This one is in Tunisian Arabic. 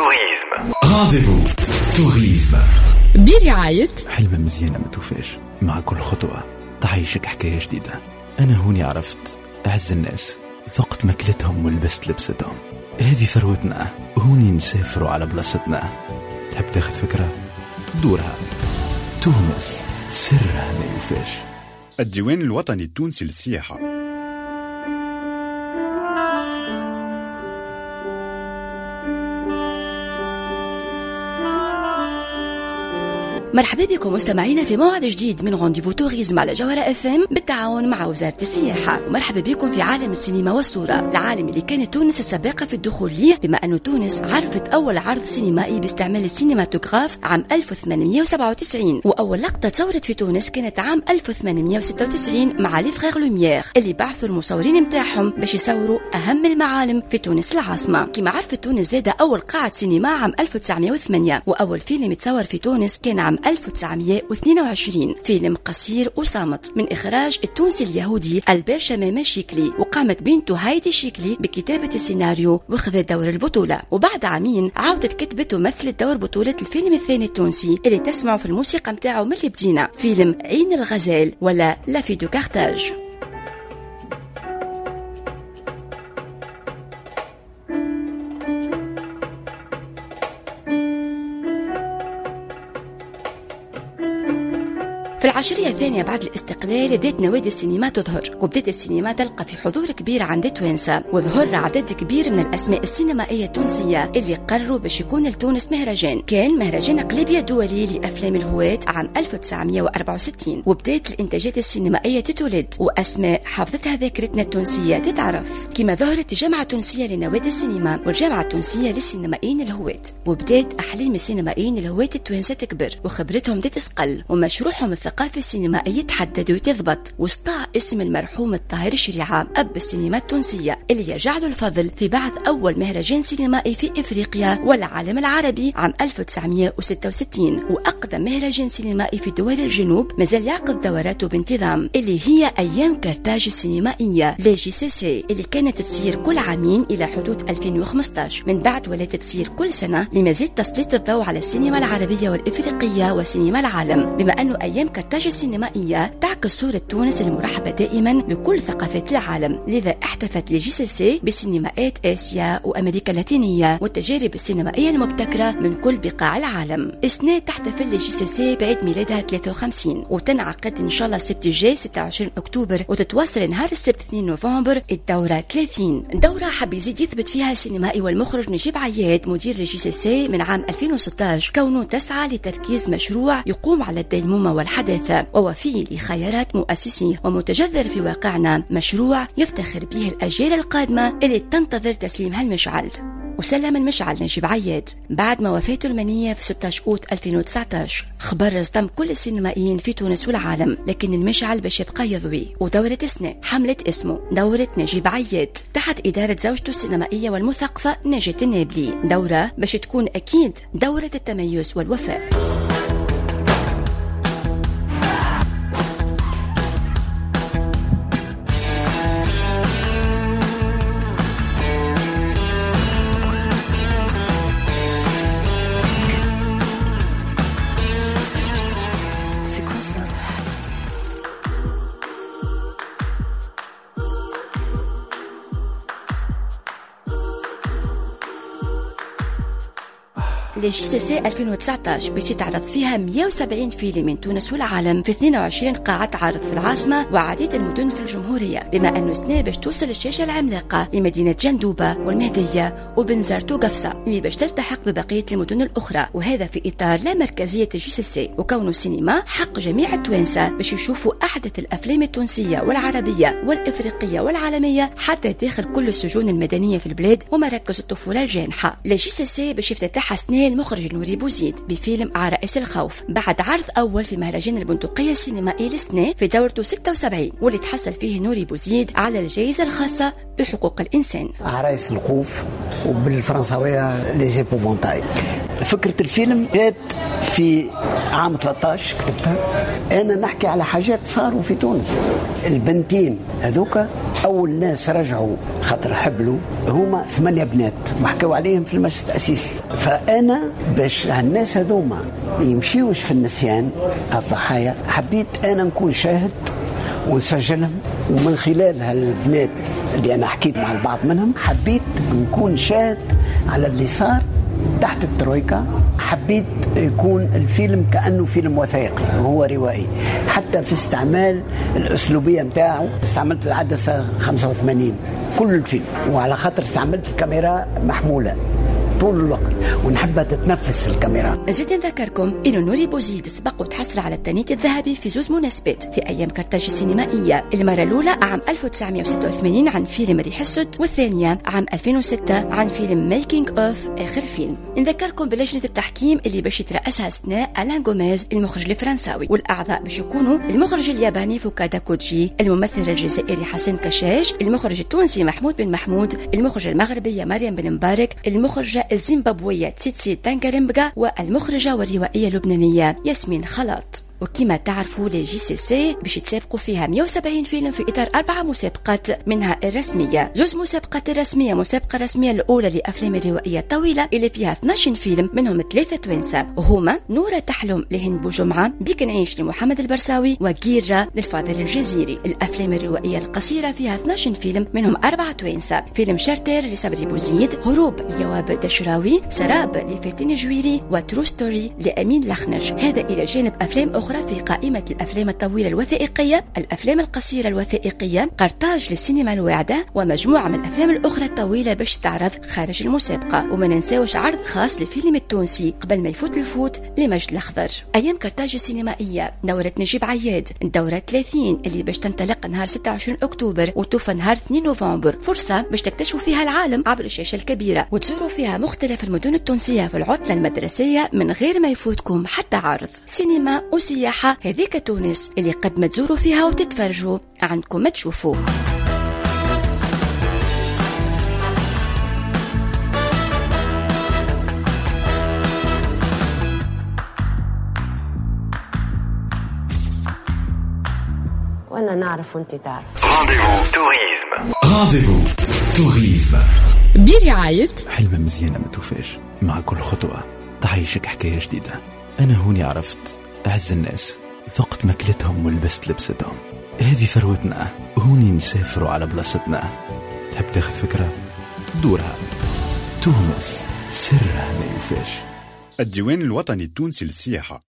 Tourisme. Rendez-vous Tourisme. برعاية حلمة مزيانة ما توفاش، مع كل خطوة تعيشك حكاية جديدة. أنا هوني عرفت أعز الناس، ذقت ماكلتهم ولبست لبستهم. هذه ثروتنا، هوني نسافروا على بلاصتنا. تحب تاخذ فكرة؟ دورها. تونس سرها ما يوفاش. الديوان الوطني التونسي للسياحة. مرحبا بكم مستمعينا في موعد جديد من Rendez-vous Tourisme على جوهرة اف ام بالتعاون مع وزارة السياحة. ومرحبا بكم في عالم السينما والصورة، العالم اللي كانت تونس السابقة في الدخول ليه، بما أن تونس عرفت أول عرض سينمائي باستعمال السينماتوغراف عام 1897، وأول لقطة تصورت في تونس كانت عام 1896 مع les frères Lumière اللي بعثوا المصورين متاعهم باش يصوروا أهم المعالم في تونس العاصمة. كما عرفت تونس زادة أول قاعة سينما عام 1908، وأول فيلم تصور في تونس كان عام 1922، فيلم قصير وصامت من إخراج التونسي اليهودي ألبير شمامة شيكلي، وقامت بنته هايدي شيكلي بكتابة السيناريو وخذت دور البطولة. وبعد عامين عاودت كتبت ومثلت دور بطولة الفيلم الثاني التونسي اللي تسمعوا في الموسيقى متاعه من اللي بدينا، فيلم عين الغزال ولا La Fille de Carthage. في العشرية الثانية بعد الاستقلال بدأت نوادي السينما تظهر، وبدأت السينما تلقى في حضور كبير عند توانسة، وظهر عدد كبير من الأسماء السينمائية التونسية اللي قرروا باش يكون لتونس مهرجان. كان مهرجان قليبية الدولي لأفلام الهواة عام 1964، وبدأت الإنتاجات السينمائية تتولد وأسماء حافظتها ذاكرتنا التونسية تتعرف، كما ظهرت الجامعة التونسية لنوادي السينما والجامعة التونسية للسينمائيين الهواة. وبدأت أحلام السينمائيين الهواة التوانسة تكبر وخبرتهم تتسقل ومشروعهم الثقافي السينمائي يتحدد وتضبط، وسطع اسم المرحوم الطاهر الشريعة أب السينما التونسية اللي يرجع له الفضل في بعث أول مهرجان سينمائي في إفريقيا والعالم العربي عام 1966، وأقدم مهرجان سينمائي في دول الجنوب مازال يعقد دوراته بانتظام اللي هي أيام كرتاج السينمائية les JCC اللي كانت تصير كل عامين إلى حدود 2015، من بعد ولات تصير كل سنة لمزيد تسليط الضوء على السينما العربية والإفريقية وسينما العالم، بما أنه أيام كرتاج السينمائية تعكس صورة تونس المرحبة دائما بكل ثقافات العالم. لذا احتفت les JCC بسينماءات آسيا وأمريكا اللاتينية والتجارب السينمائية المبتكرة من كل بقاع العالم. السنة تحتفل les JCC بعيد ميلادها 53، وتنعقد إن شاء الله السبت الجاي 26 أكتوبر، وتتواصل نهار السبت 2 نوفمبر الدورة 30. دورة حب يزيد يثبت فيها السينمائي والمخرج نجيب عياد مدير les JCC من عام 2016 كونه تسعى لتركيز مشروع يقوم على الديمومة والحداثة ووفي لخيارات مؤسسيه ومتجذر في واقعنا، مشروع يفتخر به الأجيال القادمة اللي تنتظر تسليمها المشعل. وسلم المشعل نجيب عياد بعد ما وفاته المنية في 16 أوت 2019، خبر صدم كل السينمائيين في تونس والعالم، لكن المشعل باش يبقى يضوي. ودورة سنة حملت اسمه دورة نجيب عياد تحت إدارة زوجته السينمائية والمثقفة نجاة النابلي، دورة باش تكون أكيد دورة التميز والوفاء. les JCC 2019 باش تعرض فيها 170 فيلم من تونس والعالم في 22 قاعة عرض في العاصمة وعديد المدن في الجمهورية، بما أنه سنة باش توصل الشاشة العملاقة لمدينة جندوبة والمهدية وبنزرت وقفصة اللي باش تلتحق ببقية المدن الأخرى، وهذا في إطار لا مركزية ال JCC وكونه السينما حق جميع التوانسة باش يشوفوا أحدث الأفلام التونسية والعربية والإفريقية والعالمية حتى داخل كل السجون المدنية في البلاد ومراكز الطفولة الجانحة. les JCC باش يفتتحها سنة المخرج نوري بوزيد بفيلم عرائس الخوف بعد عرض أول في مهرجان البندقية السينمائي للسنة في دورته 76، واللي تحصل فيه نوري بوزيد على الجائزة الخاصة بحقوق الإنسان. عرايس الخوف وبالفرنساوية les épouvantails. فكرة الفيلم جات في عام 13 كتبتها أنا، نحكي على حاجات صاروا في تونس. البنتين هذوك أول ناس رجعوا خاطر حبلوا، هما 8 بنات وحكوا عليهم في المجلس التأسيسي. فأنا باش الناس هذوما يمشيوش في النسيان الضحايا، حبيت أنا نكون شاهد ونسجلهم، ومن خلال هالبنات اللي أنا حكيت مع البعض منهم حبيت نكون شاهد على اللي صار تحت الترويكا. حبيت يكون الفيلم كأنه فيلم وثائقي وهو روائي، حتى في استعمال الأسلوبية متاعه استعملت العدسة 85 كل الفيلم، وعلى خاطر استعملت الكاميرا محمولة طول الوقت ونحبها تتنفس الكاميرا. نزيد نذكركم إنه نوري بوزيد سبق وتحصل على التانيت الذهبي في زوز مناسبات في أيام كرتاج السينمائية، المرة الأولى عام 1986 عن فيلم ريح السد، والثانية عام 2006 عن فيلم Making of آخر فيلم. نذكركم بلجنة التحكيم اللي باش يترأسها سناء ألان غوميز المخرج الفرنساوي، والأعضاء باش يكونوا المخرج الياباني فوكادا كوجي، الممثل الجزائري حسن كشاش، المخرج التونسي محمود بن محمود، المخرج المغربية مريم بن مبارك، المخرجة الزيمبابوية تيتسي تانكاريمبغا، والمخرجة والروائية اللبنانية ياسمين خلاط. وكما تعرفوا les JCC باش يتسابقوا فيها 170 فيلم في إطار 4 مسابقات، منها الرسمية، زوز مسابقات الرسمية، مسابقة رسمية الأولى لأفلام الروائية الطويلة اللي فيها 12 فيلم منهم 3 توانسة، وهما نورة تحلم لهند بوجمعة، بيك نعيش لمحمد البرساوي، وجيرة للفاضل الجزيري. الأفلام الروائية القصيرة فيها 12 فيلم منهم 4 توانسة، فيلم شارتر لصبري بوزيد، هروب ليواب دشراوي، سراب لفاتن جويري، و True Story لأمين لخنج. هذا إلى جانب أفلام أخرى في قائمة الأفلام الطويلة الوثائقية، الأفلام القصيرة الوثائقية، قرطاج للسينما الواعدة، ومجموعة من الأفلام الأخرى الطويلة باش تعرض خارج المسابقة. وما ننساوش عرض خاص للفيلم التونسي قبل ما يفوت الفوت لمجد الأخضر. أيام قرطاج السينمائية دورة نجيب عياد، الدورة 30 اللي باش تنطلق نهار 26 أكتوبر وتوفى نهار 2 نوفمبر، فرصة باش تكتشفوا فيها العالم عبر الشاشة الكبيرة وتزوروا فيها مختلف المدن التونسية في العطلة المدرسية من غير ما يفوتكم حتى عرض. سينما وسياحة، هذيك تونس اللي قد ما تزوروا فيها وتتفرجوا عندكم ما تشوفوا. وانا نعرف وانت تعرف. Rendez-vous tourisme. Rendez-vous tourisme برعاية حلمة مزيانة ما توفاش، مع كل خطوة تعيشك حكاية جديدة. أنا هوني عرفت أعز الناس، ذقت ماكلتهم ولبست لبستهم، هذه ثروتنا، هوني نسافروا على بلاصتنا. تحب تاخذ فكرة؟ دورها. تونس سرها ما يوفاش. الديوان الوطني التونسي للسياحة.